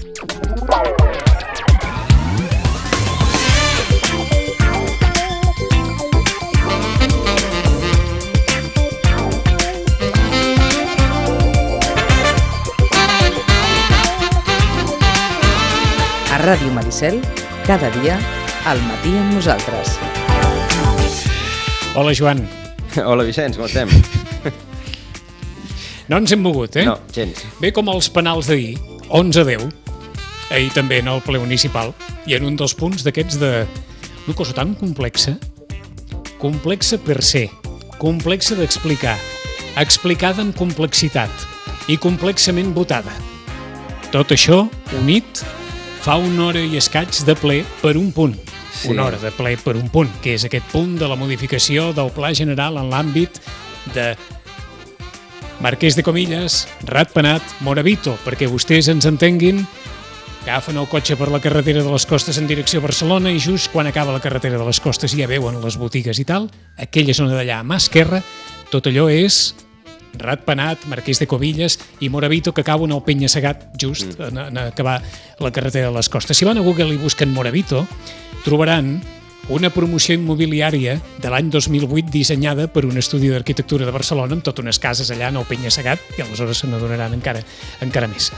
A Ràdio Maricel, cada dia, al matí amb nosaltres. Hola, Joan. Hola, Vicenç, com estem? No ens hem mogut, No, gens. Bé com els penals d'ahir, 11-10, ahir també en el ple municipal, i en un dels punts d'aquests una cosa tan complexa per ser, complexa d'explicar, explicada en complexitat i complexament votada. Tot això unit fa una hora i escaig de ple per un punt. Sí. Una hora de ple per un punt, que és aquest punt de la modificació del Pla General en l'àmbit de Marquès de Comillas, Ratpenat, Moravito, perquè vostès ens entenguin, agafen el cotxe per la carretera de les Costes en direcció a Barcelona i just quan acaba la carretera de les Costes ja veuen les botigues i tal, aquella zona d'allà a mà esquerra, tot allò és Ratpenat, Marquès de Covillas i Moravito, que cauen al penya-segat just en acabar la carretera de les Costes. Si van a Google i busquen Moravito, trobaran una promoció immobiliària de l'any 2008 dissenyada per un estudi d'arquitectura de Barcelona amb totes unes cases allà en el penya-segat i aleshores se n'adonaran encara més.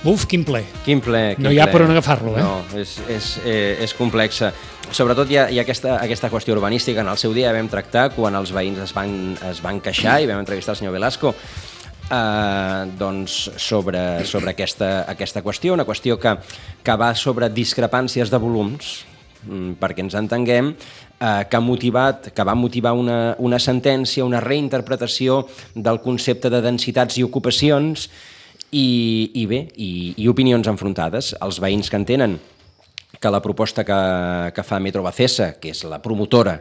Buf, quin ple. Quin ple. No hi ha per on agafar-lo, No, és complexa. Sobretot hi ha aquesta qüestió urbanística. En el seu dia vam tractar quan els veïns es van queixar i vam entrevistar el senyor Velasco doncs sobre aquesta qüestió, una qüestió que va sobre discrepàncies de volums, perquè ens entenguem, que va motivar una sentència, una reinterpretació del concepte de densitats i ocupacions i opinions enfrontades. Els veïns que entenen que la proposta que fa Metrovacesa, que és la promotora,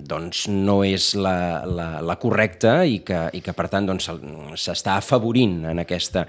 doncs no és la correcta i que per tant doncs, s'està afavorint en aquesta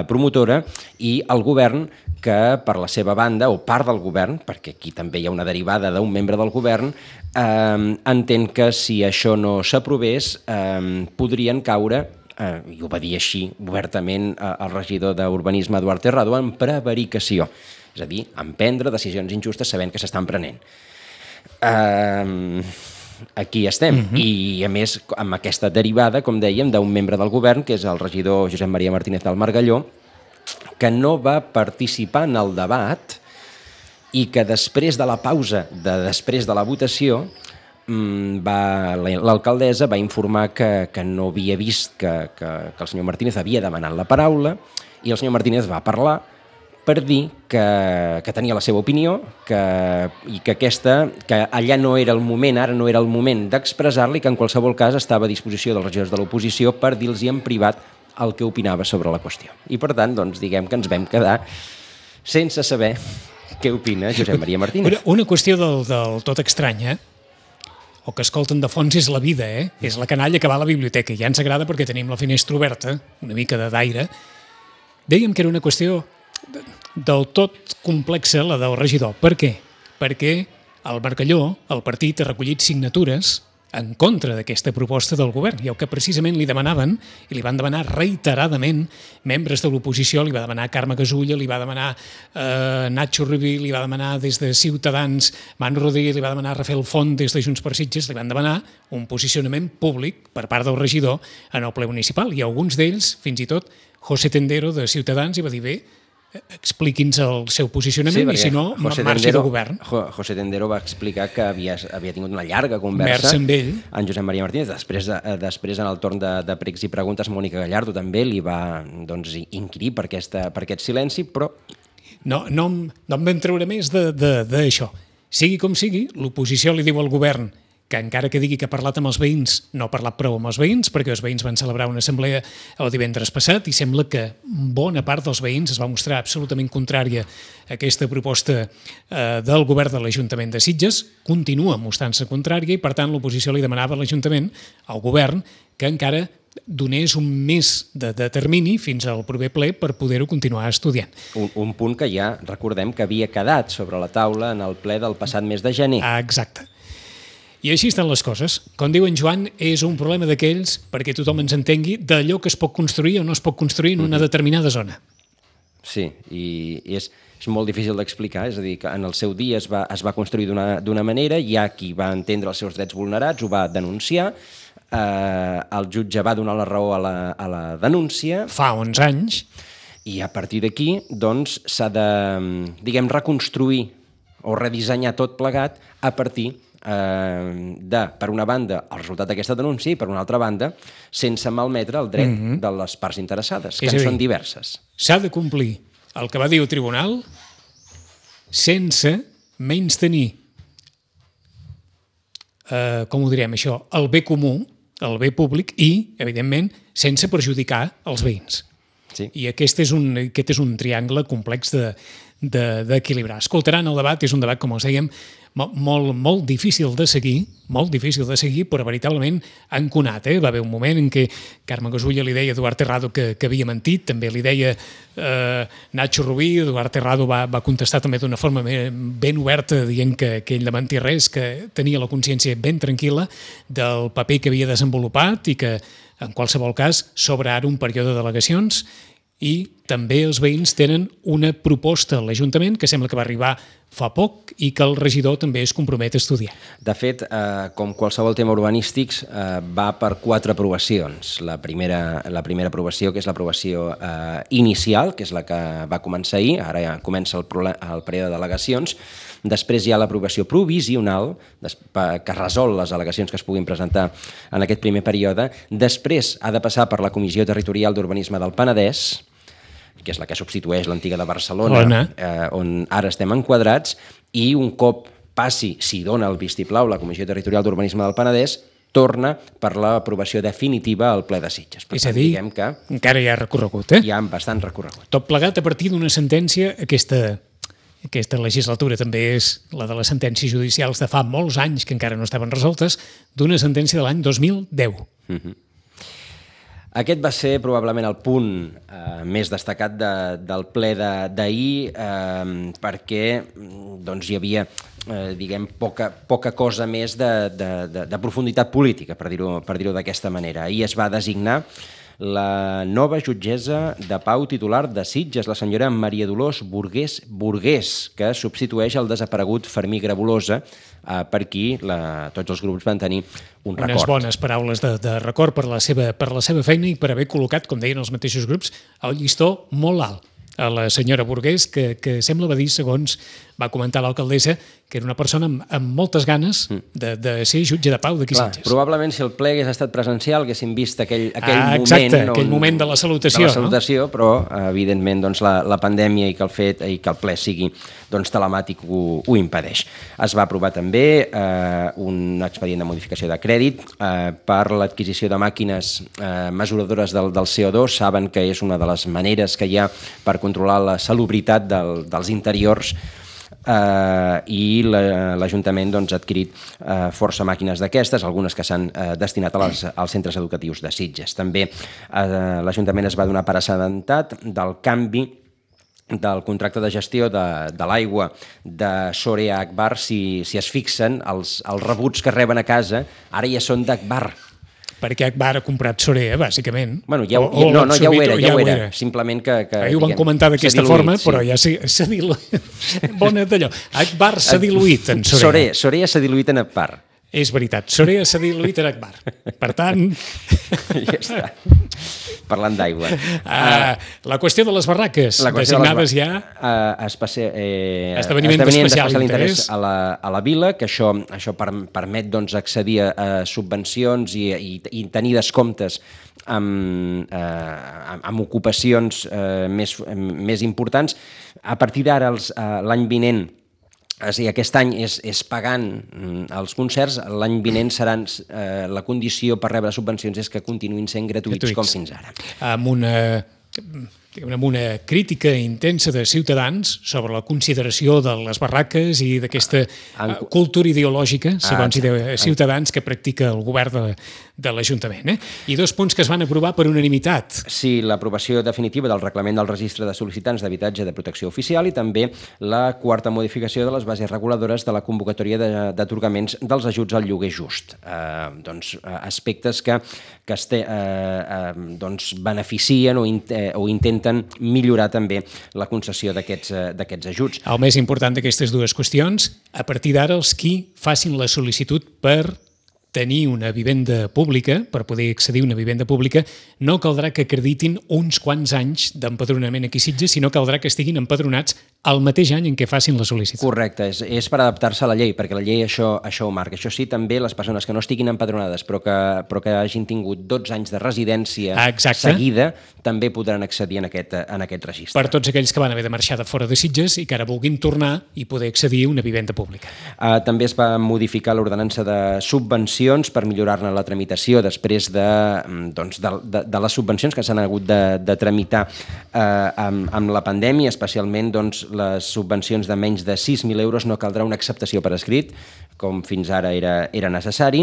promotora, i el govern, que per la seva banda, o part del govern, perquè aquí també hi ha una derivada d'un membre del govern, entén que si això no s'aprovés podrien caure, i ho va dir així obertament el regidor d'Urbanisme Eduard Terrado, en prevaricació, és a dir, en prendre decisions injustes sabent que s'estan prenent. Aquí estem, i a més amb aquesta derivada, com dèiem, d'un membre del govern, que és el regidor Josep Maria Martínez del Margalló, que no va participar en el debat i que després de la pausa, després de la votació, l'alcaldessa va informar que no havia vist que el senyor Martínez havia demanat la paraula, i el senyor Martínez va parlar per dir que tenia la seva opinió i que allà no era el moment, ara no era el moment d'expressar-li, que en qualsevol cas estava a disposició dels regidors de l'oposició per dir-los en privat el que opinava sobre la qüestió. I per tant, doncs, diguem que ens vam quedar sense saber què opina Josep Maria Martínez. Una qüestió del tot estranya, o que escolten de fons, és la vida, És la canalla que va a la biblioteca. Ja ens agrada perquè tenim la finestra oberta, una mica d'aire. Dèiem que era una qüestió del tot complexa, la del regidor. Per què? Perquè el Margalló, el partit, ha recollit signatures en contra d'aquesta proposta del govern, i el que precisament li demanaven, i li van demanar reiteradament membres de l'oposició, li va demanar Carme Gasulla, li va demanar Nacho Rubí, li va demanar des de Ciutadans Manu Rodríguez, li va demanar Rafael Font des de Junts per Sitges, li van demanar un posicionament públic per part del regidor en el ple municipal, i alguns d'ells, fins i tot José Tendero de Ciutadans, hi va dir: bé, expliqui'ns el seu posicionament, i si no, marxi del govern. José Tendero va explicar que havia tingut una llarga conversa amb ell, en Josep Maria Martínez. Després en el torn de pregs i preguntes, Mònica Gallardo també li va inquirir per aquest silenci, però no em vam treure més d'això. Sigui com sigui, l'oposició li diu al govern que encara que digui que ha parlat amb els veïns, no ha parlat prou amb els veïns, perquè els veïns van celebrar una assemblea el divendres passat i sembla que bona part dels veïns es va mostrar absolutament contrària a aquesta proposta del govern de l'Ajuntament de Sitges, continua mostrant-se contrària, i per tant l'oposició li demanava a l'Ajuntament, al govern, que encara donés un mes de termini fins al proper ple per poder-ho continuar estudiant. Un punt que ja recordem que havia quedat sobre la taula en el ple del passat mes de gener. Exacte. I així estan les coses. Com diu en Joan, és un problema d'aquells, perquè tothom ens entengui, d'allò que es pot construir o no es pot construir en una determinada zona. Sí, i és molt difícil d'explicar, és a dir, que en el seu dia es va construir d'una manera, hi ha qui va entendre els seus drets vulnerats, ho va denunciar, el jutge va donar la raó a la denúncia. Fa 11 anys. I a partir d'aquí, doncs, s'ha de, diguem, reconstruir o redissenyar tot plegat a partir de, per una banda, el resultat d'aquesta denúncia i, per una altra banda, sense malmetre el dret de les parts interessades, que en són diverses. S'ha de complir el que va dir el tribunal sense menystenir, com ho direm això, el bé comú, el bé públic i, evidentment, sense perjudicar els veïns. Sí. I aquest és un triangle complex d'equilibrar. Escoltaran el debat, és un debat, com els dèiem, molt difícil de seguir, però veritablement enconat. Va haver un moment en què Carme Gasulla li deia a Eduard Terrado que havia mentit, també li deia Nacho Rubí, Eduard Terrado va contestar també d'una forma ben oberta, dient que ell no mentia res, que tenia la consciència ben tranquil·la del paper que havia desenvolupat i que, en qualsevol cas, s'obre ara un període d'al·legacions i també els veïns tenen una proposta a l'Ajuntament que sembla que va arribar fa poc i que el regidor també es compromet a estudiar. De fet, com qualsevol tema urbanístic, va per 4 aprovacions. La primera aprovació, que és l'aprovació inicial, que és la que va començar ahir, ara ja comença el període d'al·legacions. Després hi ha l'aprovació provisional, que resol les al·legacions que es puguin presentar en aquest primer període. Després ha de passar per la Comissió Territorial d'Urbanisme del Penedès, que és la que substitueix l'antiga de Barcelona, on ara estem enquadrats, i un cop passi, si dona el vistiplau, la Comissió Territorial d'Urbanisme del Penedès, torna per l'aprovació definitiva al ple de Sitges. És a dir, que encara hi ha recorregut, Hi ha bastant recorregut. Tot plegat a partir d'una sentència, aquesta legislatura també és la de les sentències judicials de fa molts anys que encara no estaven resoltes, d'una sentència de l'any 2010. Aquest va ser probablement el punt més destacat del ple d'ahir, perquè hi havia poca cosa més de profunditat política, per dir-ho d'aquesta manera. Ahir es va designar la nova jutgessa de pau titular de Sitges, la senyora Maria Dolors Burgués, que substitueix el desaparegut Fermí Grabolosa, per qui tots els grups van tenir un record. Unes bones paraules de record per la seva feina i per haver col·locat, com deien els mateixos grups, el llistó molt alt a la senyora Burgués, que sembla va dir, segons va comentar l'alcaldessa, que era una persona amb moltes ganes de ser jutge de pau d'aquí Sitges. Probablement si el ple hagués estat presencial haguéssim vist aquell moment de la salutació, però evidentment la pandèmia i que el ple sigui telemàtic ho impedeix. Es va aprovar també un expedient de modificació de crèdit per l'adquisició de màquines mesuradores del CO2. Saben que és una de les maneres que hi ha per controlar la salubritat dels interiors, i l'Ajuntament ha adquirit força màquines d'aquestes, algunes que s'han destinat als centres educatius de Sitges. També l'Ajuntament es va donar per assabentat del canvi del contracte de gestió de l'aigua de Sorea Agbar. Si es fixen, els rebuts que reben a casa ara ja són d'Agbar. Perquè Agbar ha comprat Sorea, bàsicament. Bueno, ja ho era. Simplement que ahir ho van comentar d'aquesta forma, però ja s'ha diluït. Bona d'allò. Agbar s'ha diluït en Sorea. Sorea s'ha diluït en Agbar. És veritat, Sorea s'ha diluït en Agbar. Per tant... Ja està. Parlant d'aigua. La qüestió de les barraques, designades ja... Esdeveniment d'especial interès a la vila, que això permet accedir a subvencions i tenir descomptes amb ocupacions més importants. A partir d'ara, l'any vinent, aquest any és pagant els concerts, l'any vinent seran la condició per rebre subvencions és que continuïn sent gratuïts com fins ara. Amb una crítica intensa de Ciutadans sobre la consideració de les barraques i d'aquesta cultura ideològica, segons Ciutadans, que practica el govern de l'Ajuntament. I 2 punts que es van aprovar per unanimitat. Sí, l'aprovació definitiva del reglament del registre de sol·licitants d'habitatge de protecció oficial i també la 4a modificació de les bases reguladores de la convocatòria d'atorgaments dels ajuts al lloguer just. Aspectes que beneficien o intenten intenten millorar també la concessió d'aquests ajuts. El més important d'aquestes dues qüestions, a partir d'ara els qui facin la sol·licitud per tenir una vivenda pública, per poder accedir a una vivenda pública, no caldrà que acreditin uns quants anys d'empadronament aquí a Sitges, sinó caldrà que estiguin empadronats el mateix any en què facin la sol·licitud. Correcte, és per adaptar-se a la llei, perquè la llei això ho marca. Això sí, també les persones que no estiguin empadronades però que hagin tingut 12 anys de residència seguida, també podran accedir en aquest registre. Per tots aquells que van haver de marxar de fora de Sitges i que ara vulguin tornar i poder accedir a una vivenda pública. També es va modificar l'ordenança de subvencions per millorar-ne la tramitació després de les subvencions que s'han hagut de tramitar amb la pandèmia, especialment les subvencions de menys de 6.000 euros no caldrà una acceptació per escrit, com fins ara era necessari.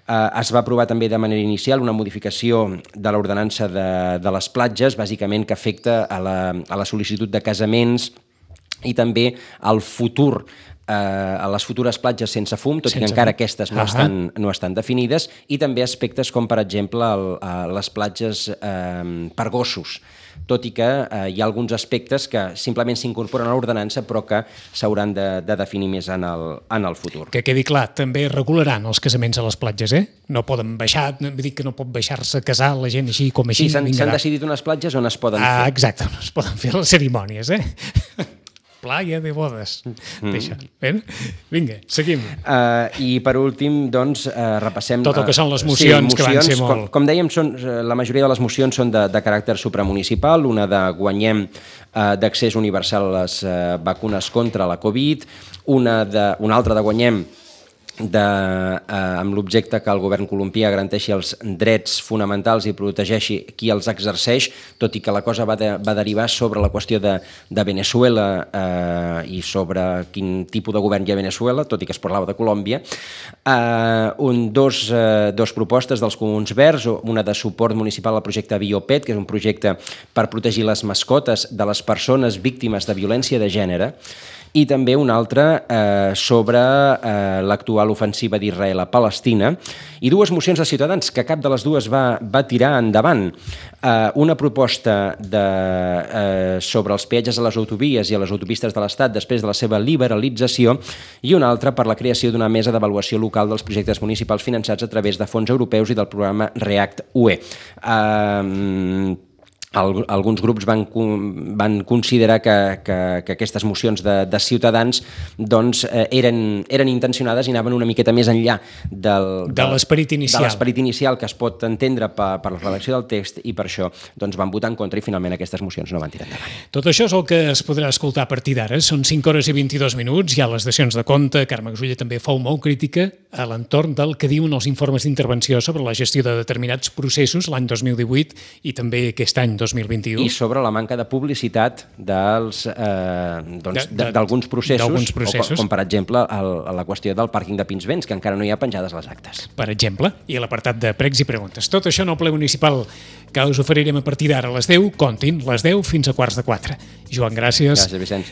Es va aprovar també de manera inicial una modificació de l'ordenança de les platges, bàsicament que afecta a la sol·licitud de casaments i també al futur a les futures platges sense fum, tot i que encara aquestes no estan definides, i també aspectes com, per exemple, les platges per gossos, tot i que hi ha alguns aspectes que simplement s'incorporen a l'ordenança però que s'hauran de definir més en el futur. Que quedi clar, també regularan els casaments a les platges, No poden baixar, dir que no pot baixar-se a casar la gent així com així. Sí, s'han decidit unes platges on es poden fer. Exacte, on es poden fer les cerimònies, Playa de bodes. Deixa. Vinga, seguim. I per últim, doncs, repassem... Tot el que són les mocions, que van ser molt... Com dèiem, la majoria de les mocions són de caràcter supramunicipal, una de guanyem d'accés universal a les vacunes contra la Covid, una altra de guanyem amb l'objecte que el govern colombià garanteixi els drets fonamentals i protegeixi qui els exerceix, tot i que la cosa va derivar sobre la qüestió de Venezuela i sobre quin tipus de govern hi ha a Venezuela, tot i que es parlava de Colòmbia. Dos propostes dels Comuns Verds, una de suport municipal al projecte Biopet, que és un projecte per protegir les mascotes de les persones víctimes de violència de gènere, i també una altra sobre l'actual ofensiva d'Israel a Palestina, i dues mocions de Ciutadans, que cap de les dues va tirar endavant. Una proposta sobre els peatges a les autovies i a les autopistes de l'Estat després de la seva liberalització, i una altra per la creació d'una mesa d'avaluació local dels projectes municipals finançats a través de fons europeus i del programa REACT-UE. Alguns grups van considerar que aquestes mocions de Ciutadans eren intencionades i anaven una miqueta més enllà de l'esperit inicial que es pot entendre per la redacció del text, i per això van votar en contra i finalment aquestes mocions no van tirar endavant. Tot això és el que es podrà escoltar a partir d'ara. Són 5 hores i 22 minuts, hi ha les dacions de compte. Carme Gasulla també fou molt crítica a l'entorn del que diuen els informes d'intervenció sobre la gestió de determinats processos l'any 2018 i també aquest any 2021. I sobre la manca de publicitat d'alguns processos, com per exemple la qüestió del pàrquing de Pinsbens, que encara no hi ha penjades les actes. Per exemple, i l'apartat de pregs i preguntes. Tot això en el ple municipal que us oferirem a partir d'ara a les 10, comptin, les 10 fins a 3:15. Joan, gràcies. Gràcies, Vicenç.